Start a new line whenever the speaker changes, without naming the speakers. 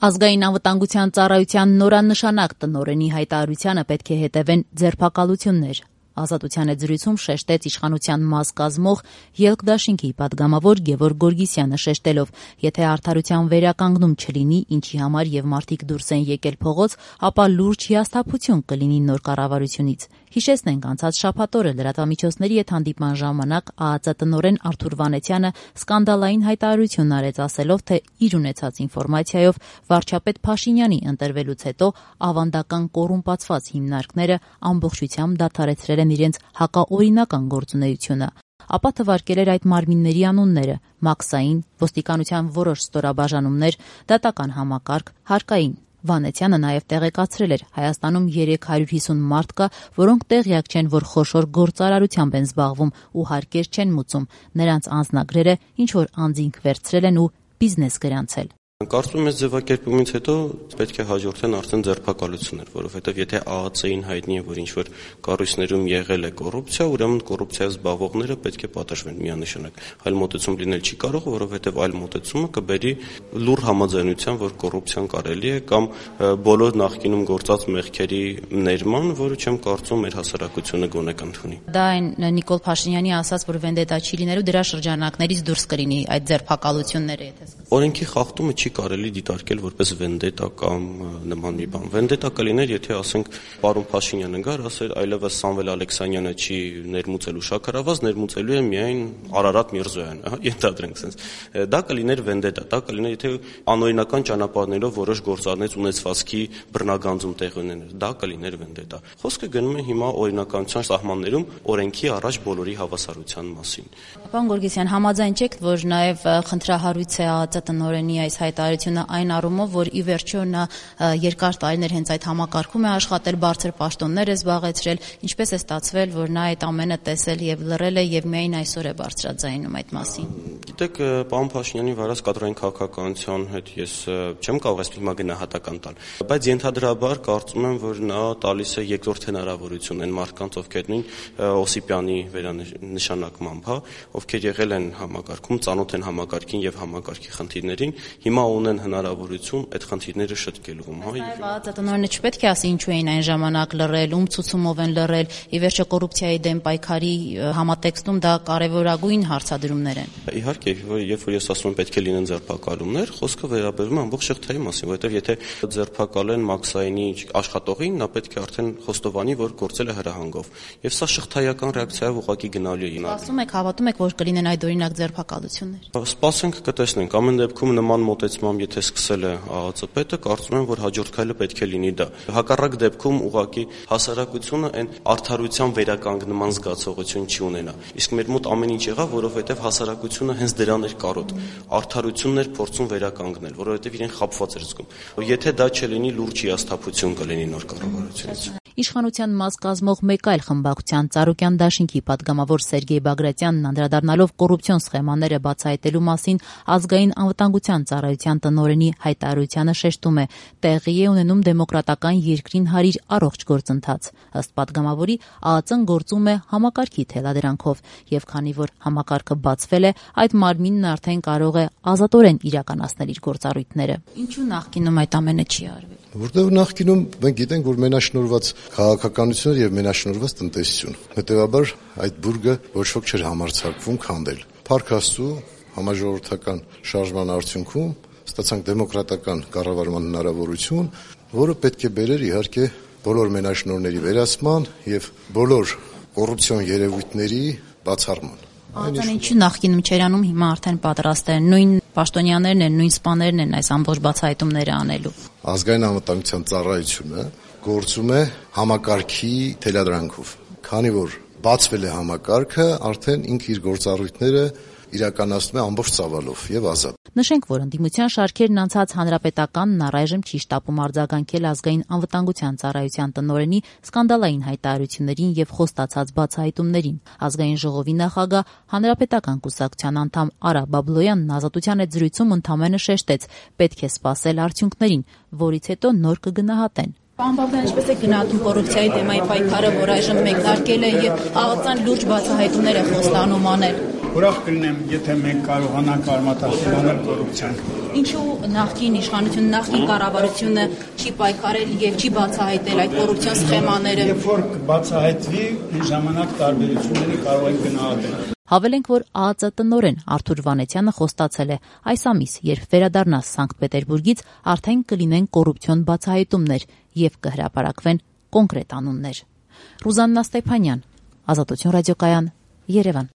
Ազգային անվտանգության ծառայության նորանշանակ տնօրենի հայտարարությանը պետք է հետևեն ձերբակալություններ։ Ազատության հետ զրույցում շեշտեց իշխանության մաս կազմող Ելք դաշինքի պատգամավոր Գևորգ Գորգիսյանը շեշտելով, եթե արդարության վերականգնում չլինի, ինչի համար եւ մարդիկ դուրս են եկել փողոց, ապա լուրջ հիասթափություն կլինի նոր կառավարությունից։ Հիշեցնենք, անցած շաբաթ օրը լրատվամիջոցների հետ հանդիպման ժամանակ ԱԱԾ տնօրեն Արթուր Վանեցյանը սկանդալային հայտարարություն արեց, ասելով, թե իր ունեցած ինֆորմացիայով վարչապետ Փաշինյանի ընտրվելուց հետո ավանդական կոռումպացված հիմնարկները ամբողջությամբ դադարեցրել են իրենց հակաօրինական գործունեությունը, ապա թվարկել էր այդ մարմինների անունները՝ Մաքսային, ոստիկանության որոշ ստորաբաժանումներ, դատական համակարգ, հարկային։ Վանեցյանը նաև տեղեկացրել էր, Հայաստանում 350 մարդ կա, որոնք տեղյակ չեն, որ խոշոր գործարարությամբ են զբաղվում ու հարկեր չեն մուծում, նրանց անձնագրերը ինչ-որ անձինք վերցրել են ու բիզնես գրանցել։
Կարծում եմ, ձևակերպումից հետո պետք է հաջորդեն արդեն ձերբակալություններ, որովհետև եթե ԱԱԾ-ին հայտնի է, որ ինչ-որ կառույցներում եղել է կոռուպցիա, ուրեմն կոռուպցիայով զբաղվողները պետք է պատժվեն միանշանակ։ Այլ մոտեցում լինել չի կարող, որովհետև այլ մոտեցումը կբերի լուռ համաձայնության, որ կոռուպցիան կարելի է, կամ բոլոր նախկինում գործած մեղքերի ներման, որը չեմ կարծում մեր հասարակությունը գոնե կընդունի։
Դա այն Նիկոլ Փաշինյանի ասաց, որ վենդետա չի լինելու, դրա շրջանակներից դուրս կլինի այդ ձերբակալությունները, եթե
օրենքի խախտումը չի կարելի դիտարկել որպես վենդետա կամ նման մի բան։ Վենդետա կլիներ, եթե ասենք պարոն Փաշինյանը գար, ասեր այլևս Սամվել Ալեքսանյանը չի ներմուծելու շաքարավազ, ներմուծելու է միայն Արարատ Միրզոյանը, ենթադրենք sense։ Դա կլիներ վենդետա, դա կլիներ, եթե անօրինական ճանապարհներով որոշ գործառնից ունեցվածքի բռնագանձում տեղ ունեներ, դա կլիներ վենդետա։ Խոսքը գնում է հիմա օրինականության սահմաններում օրենքի առաջ բոլորի հավասարության մասին։
Պարոն Գորգիսյան, համաձայն չեք, որ նաև խնդրահարույց է ԱԱԾ տնօրենի այս հայտարարությունը այն առումով, որ ի վերջո նա երկար տարիներ հենց այդ համակարգում է աշխատել, բարձր պաշտոններ է զբաղեցրել, ինչպես է ստացվել, որ նա այդ ամենը տեսել եւ լռել է եւ միայն այսօր է բարձրաձայնում այդ մասին։
Գիտեք, պարոն Փաշինյանի վարած կադրային քաղաքականության հետ ես չեմ կարող այսպես հիմա գնահատական տալ, բայց ենթադրաբար կարծում եմ, որ նա տալիս է երկրորդ հնարավորություն այն մարդկանց, ովքեր նույն Օսիպյանի վերանշանակմամբ, ովքեր եղել են համակարգում, ծանոթ են համակարգին եւ համակարգի խնդիրներին, հիմա ունեն հնարավորություն այդ խնդիրները շտկելու։
ԱԱԾ տնօրենը չպետք է ասի ինչու էին այն ժամանակ լռել, ում ցուցումով են լռել, ի վերջո կոռուպցիայի դեմ պայքարի համատեքստում դա կարևորագույն հարցադրումներ են։
Իհարկե, երբ որ ես ասում եմ պետք է լինեն ձերբակալումներ, խոսքը վերաբերում է ամբողջ շղթայի մասին, որովհետև եթե ձերբակալեն Մաքսայինի աշխատողին, նա պետք է արդեն խոստովանի, որ գործել է հրահանգով։ Եվ սա շղթայական ռեակցիայով ուղղակի գնալու է։
Ասում եք, հավատում եք, որ կլինեն այդ օրինակ ձերբակալություններ։
Սպասենք կտեսնենք։ Ամեն դեպքում նման մոտեցմամբ եթե սկսել է ԱԱԾ պետը, կարծում եմ, որ հաջորդ քայլը պետք է լինի դա։ Հակառակ դեպքում ուղղակի հասարակությունը այն արդարության վերականգնման զգացողություն չի ունենա։ Իսկ մեր մոտ ամեն ինչ եղավ, որովհետև հասարակությունը հենց դրան էր կարոտ։ Արդարությունն էր փորձում վերականգնել, որովհետև իրեն խաբված էր զգում։ Եթե դա չլինի, լուրջ հիասթափություն կլինի նոր կառավարությունից։
Իշխանության մաս կազմող մեկ այլ խմբակցության Ծառուկյան դաշինքի պատգամավոր Սերգեյ Բագրատյանն անդրադառնալով կոռուպցիոն սխեմաները բացահայտելու մասին ազգային անվտանգության ծառայության տնօրենի հայտարարությանը շեշտում է, տեղի է ունենում դեմոկրատական երկրին հարիր առողջ գործընթաց։ Ըստ պատգամավորի, ԱԱԾ-ն գործում է համակարգի թելադրանքով, եւ քանի որ համակարգը բացվել է, այդ մարմինն արդեն կարող է ազատորեն իրականացնել իր գործառույթները։ Ինչու նախկինում այդ ամենը չի արվել։
Որտեղ նախկինում մենք գիտենք, որ մենաշնորհված քաղաքականություն եւ մենաշնորհված տնտեսություն։ Հետեւաբար այդ բուրգը ոչ ոք չէր համարձակվում քանդել։ Փառք Աստծո, համաժողովրդական շարժման արդյունքում ստացանք դեմոկրատական կառավարման հնարավորություն, որը պետք է բերեր իհարկե բոլոր մենաշնորհների վերացման եւ բոլոր կոռուպցիոն երևույթների բացառման։
Ահա ինչու նախկինում չէր անում, հիմա արդեն պատրաստ են, նույն պաշտոնյաներն են, նույն սպաներն են այս ամբողջ բացահայտումները անելու։
Ազգային անվտանգության ծառայությունը գործում է համակարգի թելադրանքով։ Քանի որ բացվել է համակարգը, արդեն ինքը իր գործառույթները իրականացնում է ամբողջ ծավալով եւ ազատ։
Նշենք, որ ընդդիմության շարքերն անցած հանրապետականն առայժմ չի շտապում արձագանքել ազգային անվտանգության ծառայության տնօրենի սկանդալային հայտարարություններին եւ խոստացած բացահայտումներին։ Ազգային ժողովի նախագահ հանրապետական կուսակցության անդամ Արա Բաբլոյանն ազատության հետ զրույցում ընդամենը շեշտեց, պետք է սպասել արդյունքներին, որից հետո նոր կգնահատեն։ Պարոն Բաբլոյան, ինչպես է գնահատում կոռուպցիայի դեմայի պայքարը, որ այժմ մեկնարկել է եւ ԱԱԾ-ն լուրջ բացահայտումներ է խոստանում անել։
Ուրախ կլինեմ, եթե մենք կարողանանք արմատախիլ անել կոռուպցիան։
Ինչու նախկին իշխանությունը, նախկին կառավարությունը չի պայքարել եւ չի բացահայտել այդ կոռուպցիոն սխեմաները։
Երբ որ կբացահայտվի, այն ժամանակ տարբերությունները կարող են գնահատել։
Հավելենք, որ ԱԱԾ տնօրեն Արթուր Վանեցյանը խոստացել է այս ամիս, երբ վերադառնա Սանկտ Պետերբուրգից, արդեն կլինեն կոռուպցիոն բացահայտումներ եւ կհրապարակվեն կոնկրետ անուններ։ Ռուզաննա Ստեփանյան, Ազատություն ռադիոկայան, Երևան։